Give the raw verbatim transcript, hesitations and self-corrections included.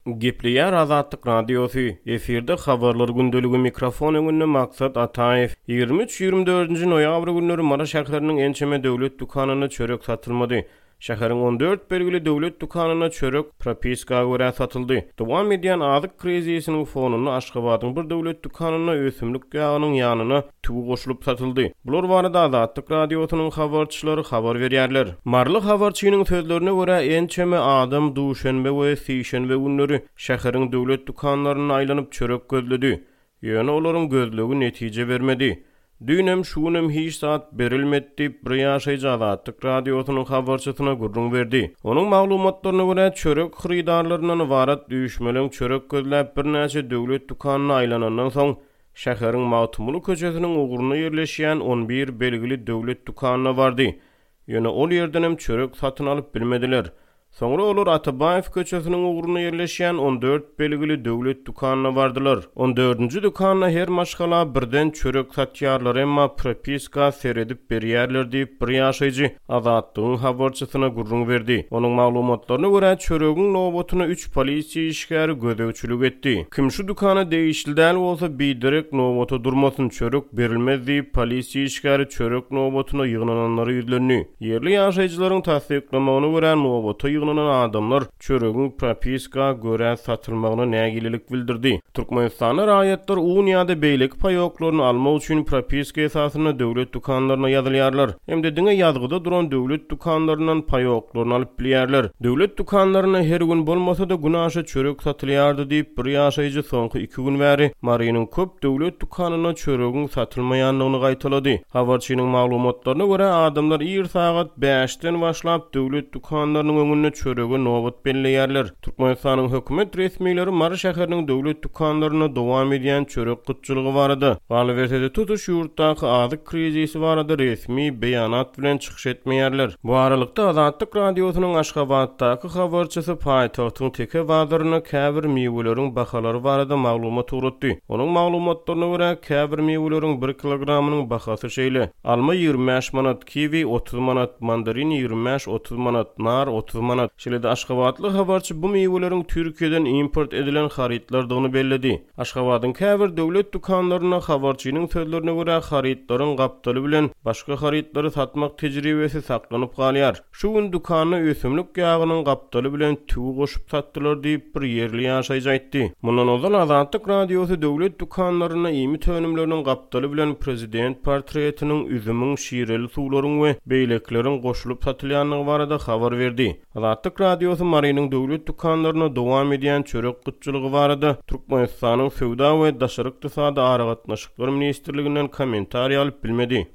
Gepleýär Azatlyk Radiosy, efirde Habarlar gündeligi, mikrofon öňünde Maksat Ataýew. Ýigrimi üç, ýigrimi dördünji noýabr günleri Mary şäheriniň ençeme döwlet dükanynda çörek satylmady. Şäheriň on dört belgili döwlet dükanynda çörek propiska görä satyldy. Dowam edýän azyk krizisiniň fonunda Aşgabadyň bir döwlet dükanynda ösümlik ýagynyň ýanyna tüwi goşulyp satyldy. Bular barada Azatlyk Radiosynyň habarçylary habar berýärler. Maryly habarçynyň sözlerine görä, ençeme adam duşenbe we sişenbe günleri şäheriň döwlet dükanlaryna aýlanyp çörek gözledi. Ýöne olaryň gözlegi netije bermedi. Düýnem, şu günem hiç zat berilmedi diýip, bir ýaşaýjy Azatlyk Radiosynyň habarçysyna gürrüň berdi. Onuň maglumatlaryna görä, çörek hyrydarlaryndan ybarat üýşmeleň çörek gözläp birnäçe döwlet dükanyna aýlanandan soň, şäheriň Magtymguly köçesiniň ugrunda ýerleşýän on bir belgili döwlet dükanyna bardy. Ýöne ol ýerdenem çörek satyn alyp bilmediler. Soňra olar Atabaýew köçesiniň ugrunda ýerleşýän on dört belgili döwlet dükanyna bardylar. On dördünji dükanda her maşgala birden çörek satýarlar, emma propiska seredip berýärler diýip, bir ýaşaýjy Azatlygyň habarçysyna gürrüň berdi. Onuň maglumatlaryna görä, çöregiň nobatyna üç polisiýa işgäri gözegçilik etdi. Kim şu dükana degişli däl bolsa, biderek nobata durmasyn, çörek berilmez diýip, polisiýa işgäri çörek nobatyna ýygnananlara ýüzlendi. Ýerli ýaşaýjylaryň tassyklamagyna görä, nobata ýygnanan adamlar çöregiň propiska görä satylmagyna nägilelik bildirdi. Türkmenistanda raýatlar un ýa-da beýleki paýoklaryny almak üçin propiska esasynda döwlet dükanlaryna ýazylýarlar. Hem-de diňe ýazgyda duran döwlet dükanlaryndan paýoklaryny alyp bilýärler. Döwlet dükanlarynda her gün bolmasa-da günaşa çörek satylýardy diýip, bir ýaşaýjy soňky iki gün bäri Marynyň köp döwlet dükanynda çöregiň satylmaýandygyny gaýtalady. Habarçynyň maglumatlaryna görä, adamlar ir sagat bäşden başlap döwlet dükanlarynyň öňünde çörege nobat belleýärler. Türkmenistanyň hökümet resmileri Mary şäheriniň döwlet dükanlarynda dowam edýän çörek gytçylygy barada, galyberse-de tutuş ýurtdaky azyk krizisi barada resmi beýanat bilen çykyş etmeýärler. Bu aralykda Azatlyk Radiosynyň Aşgabatdaky habarçysy paýtagtyň Teke bazarynda käbir miweleriň bahalary barada maglumat ugratdy. Onuň maglumatlaryna görä, käbir miweleriň bir kilogramynyň bahasy şeýle: alma ýigrimi bäş manat, kiwi otuz manat, mandarin ýigrimi bäş otuz manat, nar otuz manat. Şeýle-de aşgabatly habarçy bu miweleriň Türkiýeden import edilen harytlardygyny belledi. Aşgabadyň käbir döwlet dükanlarynda habarçynyň sözlerine görä, harytlaryň gapdaly bilen başga harytlary satmak tejribesi saklanyp galýar. Şu gün dükanda ösümlik ýagynyň gapdaly bilen tüwi goşup satdylar diýip, bir ýerli ýaşaýjy aýtdy. Mundan ozal Azatlyk Radiosy döwlet dükanlarynda iýmit önümleriniň gapdaly bilen prezident portretiniň, üzümiň, şireli suwlaryň we beýlekileriň goşulyp satylýandygy barada habar berdi. Azatlyk Radiosy Marynyň döwlet dükanlarynda dowam edýän çörek gytçylygy barada Türkmenistanyň Söwda we Daşary ykdysady aragatnaşyklar ministrliginden kommentariý alyp bilmedi.